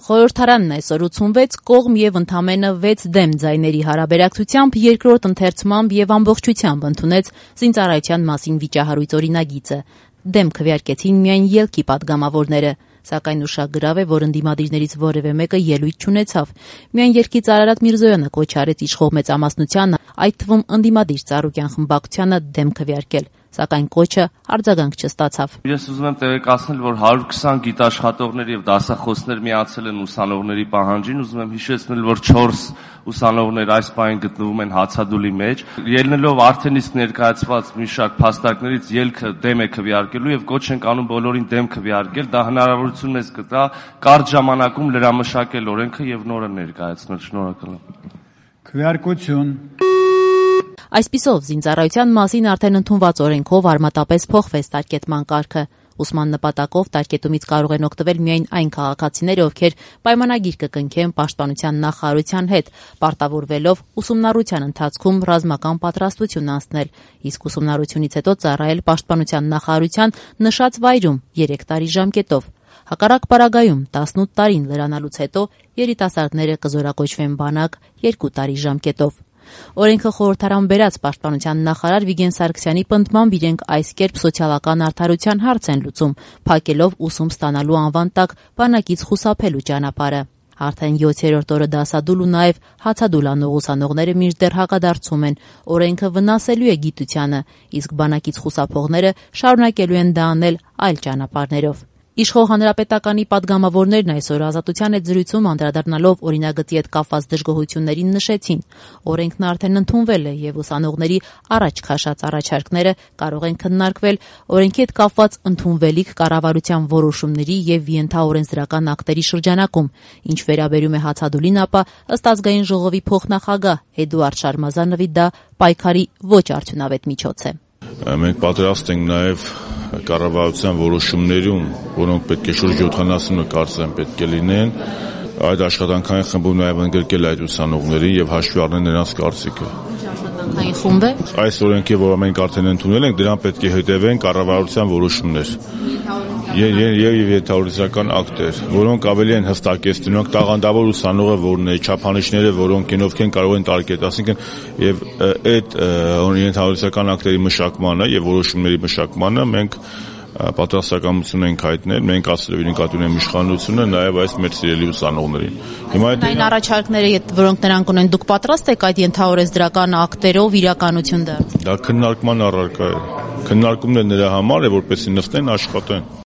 Խորհրդարանն այսօր 86 կողմ եւ ընդամենը 6 դեմ ձայների հարաբերակցությամբ երկրորդ ընթերցմամբ եւ ամբողջությամբ ընդունեց զինծառայության մասին վիճահարույց օրինագիծը։ Դեմ քվեարկեցին միայն ելքի պատգամավորները, սակայն ուշագրավ է, որ ընդդիմադիրներից որևէ մեկը ելույթ չունեցավ։ Միայն երգիծ Արարատ Միրզոյանը կոչ արեց իշխող մեծամասնությանը, այդ թվում ընդդիմադիր Ծառուկյան խմբակցությանը դեմ քվեարկել, սակայն կոչը արձագանք չստացավ։ Ես ուզում եմ տեղեկացնել, որ 120 գիտաշխատողներ եւ դասախոսներ միացել են ուսանողների պահանջին, ուզում եմ հիշեցնել, որ 4 ուսանողներ այս պահին գտնվում են հացադուլի մեջ։ Ելնելով արդեն իսկ ներկայացված մի շարք փաստարկներից ելքը դեմ է քվեարկելու եւ կոչ ենք անում բոլորին դեմ քվեարկել, դա հնարավորություն մեզ կտա կարճ ժամանակում լրամշակել օրենքը եւ նորը ներկայացնել։ Շնորհակալ եմ։ Քվեարկություն։ Այսպիսով, զինծառայության մասին արդեն ընդունված օրենքով արմատապես փոխվեց տարկետման կարգը։ Ուսման նպատակով տարկետումից կարող են օգտվել միայն այն քաղաքացիները, ովքեր պայմանագիր կկնքեն Պաշտպանության նախարարության հետ, պարտավորվելով ուսումնառության ընթացքում ռազմական պատրաստություն անցնել, իսկ ուսումնառությունից հետո ծառայել Պաշտպանության նախարարության նշած վայրում 3 տարի ժամկետով։ Հակառակ պարագայում 18 տարին լրանալուց հետո երիտասարդները կզորակոչվեն բանակ 2 տարի ժամկետով։ Օրենքը խորհրդարան բերած Պաշտպանության նախարար Վիգեն Սարգսյանի պնդմամբ իրենք այս կերպ սոցիալական արդարության հարց են լուծում, փակելով ուսում ստանալու անվան տակ բանակից խուսափելու ճանապարհը։ Արդեն 7-րդ օրը դասադուլ ու նաև հացադուլ անող ուսանողները մինչդեռ հակադարձում են, օրենքը վնասելու է գիտությանը, իսկ բանակից խուսափողները շարունակելու են դա անել այլ ճանապարհներով։ Իշխող հանրապետականի պատգամավորներն այսօր Ազատության հետ զրույցում անդրադառնալով օրինագծի հետ կապված դժգոհություններին նշեցին. օրենքն արդեն ընդունվել է եւ ուսանողների առաջ քաշած առաջարկները կարող են քննարկվել օրենքի հետ կապված ընդունվելիք կառավարության որոշումների եւ ենթաօրենսդրական ակտերի շրջանակում, ինչ վերաբերում է հացադուլին, ապա ըստ ազգային ժողովի փոխնախագահ Էդուարդ Շարմազանովի դա պայքարի ոչ արդյունավետ միջոց է։ Մենք պատրաստ ենք նաև կառավարության որոշումներում, որոնք պետք է շուրջ 70-ը կարծեմ պետք է լինեն, այդ աշխատանքային խմբում նաև ընդգրկել այդ ուսանողներին եւ հաշվի առնել նրանց կարծիքը։ Աշխատանքային խումբ է։ Այս օրենքի, որը մենք արդեն ընդունել ենք, դրան պետք է հետևեն կառավարության որոշումներ եւ ենթաօրենսդրական ակտեր, որոնք ավելի են հստակեցնում տաղանդավոր ուսանողը որն է, չափանիշները, որոնք ովքեր կարող են տարկետ, ասինքն եւ այդ ենթաօրենսդրական ակտերի մշակմանը եւ որոշումների մշակմանը մենք պատրաստակամություն ենք հայտնել, մենք ասելով նկատի ունենք իշխանությունը նաև այս մեր սիրելի ուսանողներին։ Հիմա այն առաջարկները, որոնք նրանք ունեն, դուք պատրաստ եք այդ ենթաօրենսդրական ակտերով իրականություն դարձնել։ Դա քննարկման առարկա է։ Քննարկումն է նրա համար է, որպեսզի նստեն աշխատեն։